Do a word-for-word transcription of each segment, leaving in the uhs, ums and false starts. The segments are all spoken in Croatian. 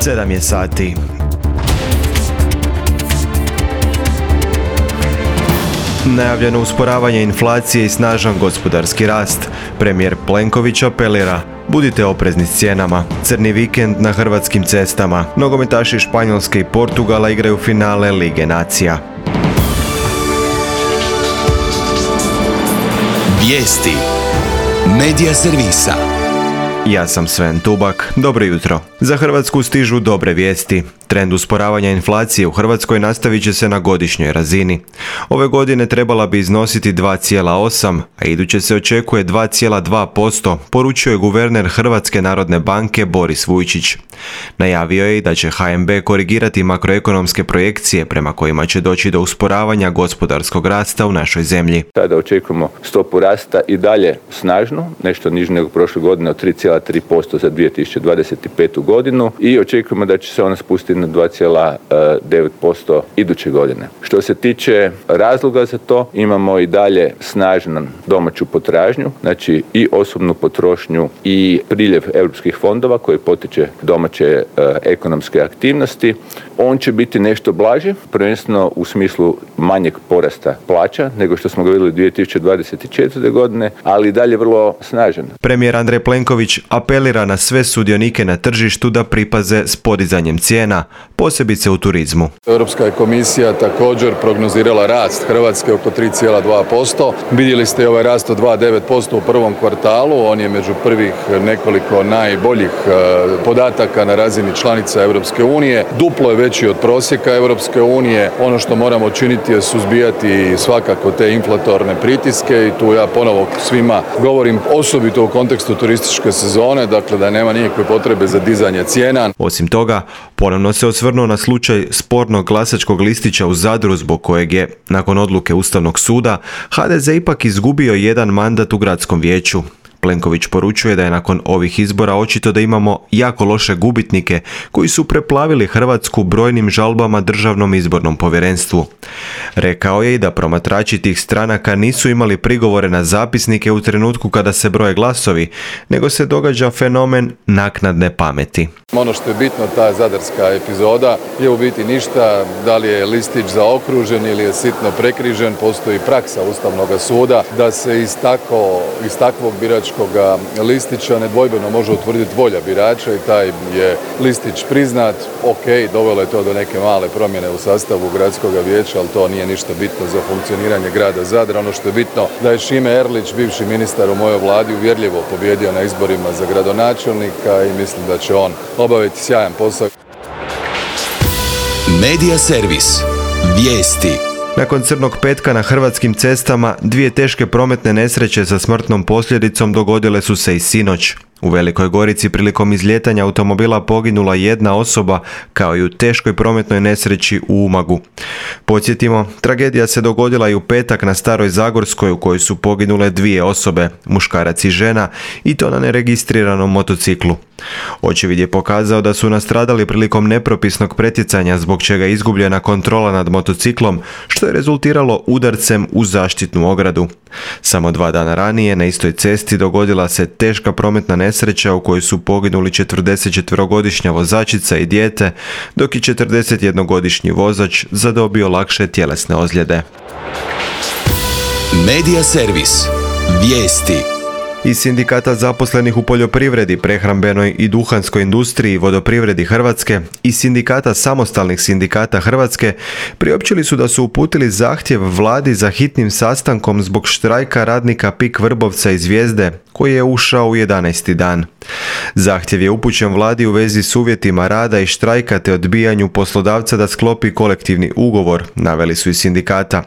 sedam je sati. Najavljeno usporavanje inflacije i snažan gospodarski rast. Premijer Plenković apelira: budite oprezni s cijenama. Crni vikend na hrvatskim cestama. Nogometaši Španjolske i Portugala igraju finale Lige nacija. Vijesti Medija servisa. Ja sam Sven Tubak. Dobro jutro. Za Hrvatsku stižu dobre vijesti. Trend usporavanja inflacije u Hrvatskoj nastavit će se na godišnjoj razini. Ove godine trebala bi iznositi dva zarez osam, a iduće se očekuje dva zarez dva posto, poručio je guverner Hrvatske narodne banke Boris Vujčić. Najavio je i da će ha em be korigirati makroekonomske projekcije prema kojima će doći do usporavanja gospodarskog rasta u našoj zemlji. Tada očekujemo stopu rasta i dalje snažnu, nešto nižu nego prošle godine od tri zarez tri posto za dvije tisuće dvadeset petu godinu i očekujemo da će se ona spustiti na dva zarez devet posto iduće godine. Što se tiče razloga za to, imamo i dalje snažnu domaću potražnju, znači i osobnu potrošnju i priljev europskih fondova koji potiče domaće uh, ekonomske aktivnosti. On će biti nešto blaži, prvenstveno u smislu manjeg porasta plaća nego što smo ga vidjeli dvije tisuće dvadeset četvrte godine, ali i dalje vrlo snažan. Premijer Andrej Plenković apelira na sve sudionike na tržištu da pripaze s podizanjem cijena, posebice u turizmu. Europska je komisija također prognozirala rast Hrvatske oko tri zarez dva posto. Vidjeli ste ovaj rast od dva zarez devet posto u prvom kvartalu, on je među prvih nekoliko najboljih podataka na razini članica Europske unije. Duplo je veći od prosjeka Europske unije. Ono što moramo činiti je suzbijati svakako te inflatorne pritiske i tu ja ponovo svima govorim osobito u kontekstu turističke sezone, dakle da nema nikakve potrebe za dizanje cijena. Osim toga, ponovno se osvrnuo na slučaj spornog glasačkog listića u Zadru zbog kojeg je, nakon odluke Ustavnog suda, ha de ze ipak izgubio jedan mandat u gradskom vijeću. Plenković poručuje da je nakon ovih izbora očito da imamo jako loše gubitnike koji su preplavili Hrvatsku brojnim žalbama Državnom izbornom povjerenstvu. Rekao je i da promatrači tih stranaka nisu imali prigovore na zapisnike u trenutku kada se broje glasovi, nego se događa fenomen naknadne pameti. Ono što je bitno, ta zadarska epizoda je u biti ništa, da li je listić zaokružen ili je sitno prekrižen, postoji praksa Ustavnog suda da se iz, tako, iz takvog biračkog listića nedvojbeno može utvrditi volja birača i taj je listić priznat. Ok, dovelo je to do neke male promjene u sastavu gradskog vijeća, ali to nije ništa bitno za funkcioniranje grada Zadra. Ono što je bitno da je Šime Erlić, bivši ministar u mojoj vladi, uvjerljivo pobjedio na izborima za gradonačelnika i mislim da će on obaviti sjajan posao. Medija servis. Vijesti. Nakon crnog petka na hrvatskim cestama, dvije teške prometne nesreće sa smrtnom posljedicom dogodile su se i sinoć. U Velikoj Gorici prilikom izlijetanja automobila poginula jedna osoba, kao i u teškoj prometnoj nesreći u Umagu. Podsjetimo, tragedija se dogodila i u petak na Staroj Zagorskoj u kojoj su poginule dvije osobe, muškarac i žena, i to na neregistriranom motociklu. Očevid je pokazao da su nastradali prilikom nepropisnog pretjecanja zbog čega je izgubljena kontrola nad motociklom, što je rezultiralo udarcem u zaštitnu ogradu. Samo dva dana ranije na istoj cesti dogodila se teška prometna nesreća u kojoj su poginuli četrdesetčetverogodišnja vozačica i dijete, dok je četrdesetjednogodišnji vozač zadobio lakše tjelesne ozljede. Medija servis. Vijesti. Iz sindikata zaposlenih u poljoprivredi, prehrambenoj i duhanskoj industriji i vodoprivredi Hrvatske i sindikata samostalnih sindikata Hrvatske priopćili su da su uputili zahtjev vladi za hitnim sastankom zbog štrajka radnika PIK Vrbovca i Zvijezde koji je ušao u jedanaesti dan. Zahtjev je upućen vladi u vezi s uvjetima rada i štrajka te odbijanju poslodavca da sklopi kolektivni ugovor, naveli su iz sindikata.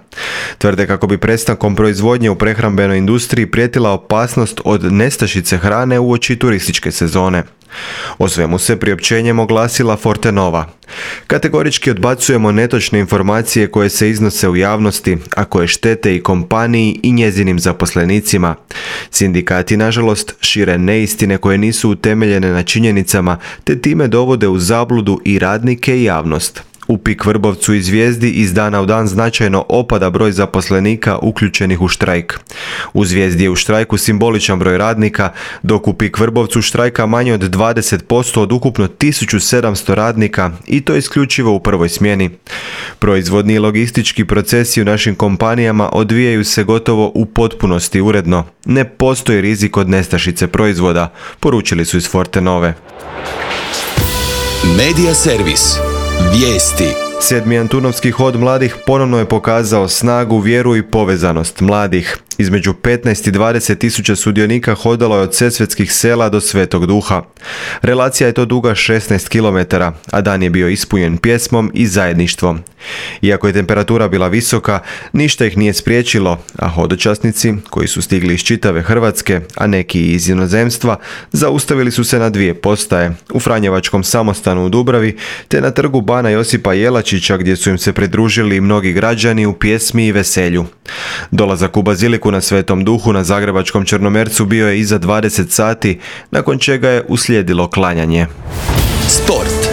Tvrde kako bi prestankom proizvodnje u prehrambenoj industriji prijetila opasnost od nestašice hrane uoči turističke sezone. O svemu se priopćenjem oglasila Fortenova. Kategorički odbacujemo netočne informacije koje se iznose u javnosti, a koje štete i kompaniji i njezinim zaposlenicima. Sindikati, nažalost, šire neistine koje nisu utemeljene na činjenicama, te time dovode u zabludu i radnike i javnost. U PIK Vrbovcu i Zvijezdi iz dana u dan značajno opada broj zaposlenika uključenih u štrajk. U Zvijezdi je u štrajku simboličan broj radnika, dok u PIK Vrbovcu štrajka manje od dvadeset posto od ukupno tisuću sedamsto radnika i to isključivo u prvoj smjeni. Proizvodni i logistički procesi u našim kompanijama odvijaju se gotovo u potpunosti uredno. Ne postoji rizik od nestašice proizvoda, poručili su iz Fortenove. Medija servis. Vijesti. Sedmi Antunovski hod mladih ponovno je pokazao snagu, vjeru i povezanost mladih. Između petnaest i dvadeset tisuća sudionika hodalo je od Sesvetskih sela do Svetog Duha. Relacija je to duga šesnaest kilometara, a dan je bio ispunjen pjesmom i zajedništvom. Iako je temperatura bila visoka, ništa ih nije spriječilo, a hodočasnici, koji su stigli iz čitave Hrvatske, a neki iz inozemstva, zaustavili su se na dvije postaje, u Franjevačkom samostanu u Dubravi, te na trgu Bana Josipa Jelačića, gdje su im se pridružili mnogi građani u pjesmi i veselju. Dolazak u baziliku na Svetom Duhu na zagrebačkom Črnomercu bio je iza dvadeset sati, nakon čega je uslijedilo klanjanje. Sport.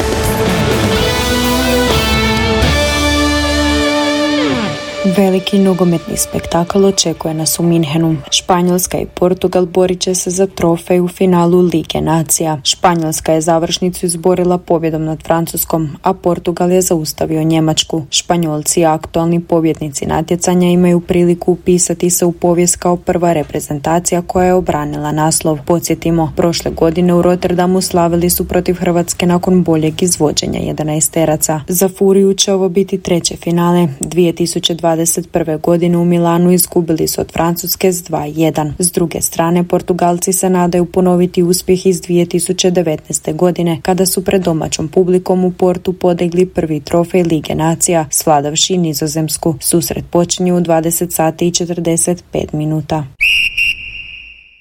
Veliki nogometni spektakl očekuje nas u Minhenu. Španjolska i Portugal borit će se za trofej u finalu Lige nacija. Španjolska je završnicu izborila pobjedom nad Francuskom, a Portugal je zaustavio Njemačku. Španjolci, aktualni pobjednici natjecanja, imaju priliku upisati se u povijest kao prva reprezentacija koja je obranila naslov. Podsjetimo, prošle godine u Rotterdamu slavili su protiv Hrvatske nakon boljeg izvođenja jedanaesteraca. Za Furiju će ovo biti treće finale. dvije tisuće dvadeset prve. godine u Milanu izgubili su od Francuske s dva jedan. S druge strane, Portugalci se nadaju ponoviti uspjeh iz dvije tisuće devetnaeste. godine, kada su pred domaćom publikom u Portu podigli prvi trofej Lige nacija, svladavši Nizozemsku. Susret počinje u dvadeset sati i četrdeset pet minuta.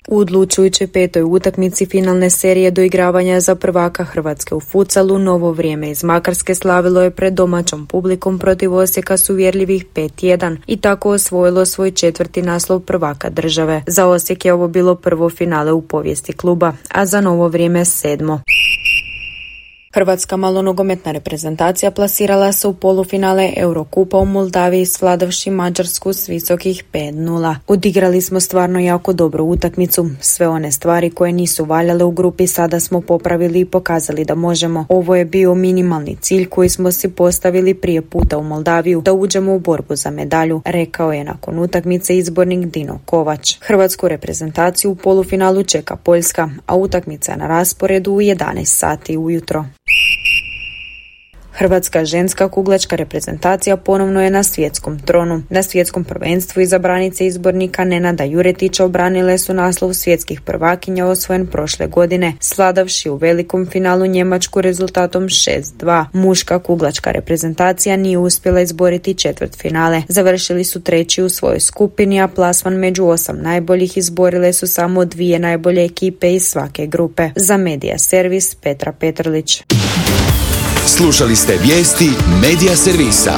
U odlučujućoj petoj utakmici finalne serije doigravanja za prvaka Hrvatske u futsalu, Novo Vrijeme iz Makarske slavilo je pred domaćom publikom protiv Osijeka s uvjerljivih pet jedan i tako osvojilo svoj četvrti naslov prvaka države. Za Osijek je ovo bilo prvo finale u povijesti kluba, a za Novo Vrijeme sedmo. Hrvatska malonogometna reprezentacija plasirala se u polufinale Eurokupa u Moldaviji svladavši Mađarsku s visokih pet nula. Odigrali smo stvarno jako dobru utakmicu. Sve one stvari koje nisu valjale u grupi sada smo popravili i pokazali da možemo. Ovo je bio minimalni cilj koji smo si postavili prije puta u Moldaviju, da uđemo u borbu za medalju, rekao je nakon utakmice izbornik Dino Kovač. Hrvatsku reprezentaciju u polufinalu čeka Poljska, a utakmica na rasporedu u jedanaest sati ujutro. Hrvatska ženska kuglačka reprezentacija ponovno je na svjetskom tronu. Na svjetskom prvenstvu izabranice izbornika Nenada Juretića obranile su naslov svjetskih prvakinja osvojen prošle godine, sladavši u velikom finalu Njemačku rezultatom šest dva. Muška kuglačka reprezentacija nije uspjela izboriti četvrt finale. Završili su treći u svojoj skupini, a plasman među osam najboljih izborile su samo dvije najbolje ekipe iz svake grupe. Za Medija servis Petra Petrlić. Slušali ste vijesti Medija servisa.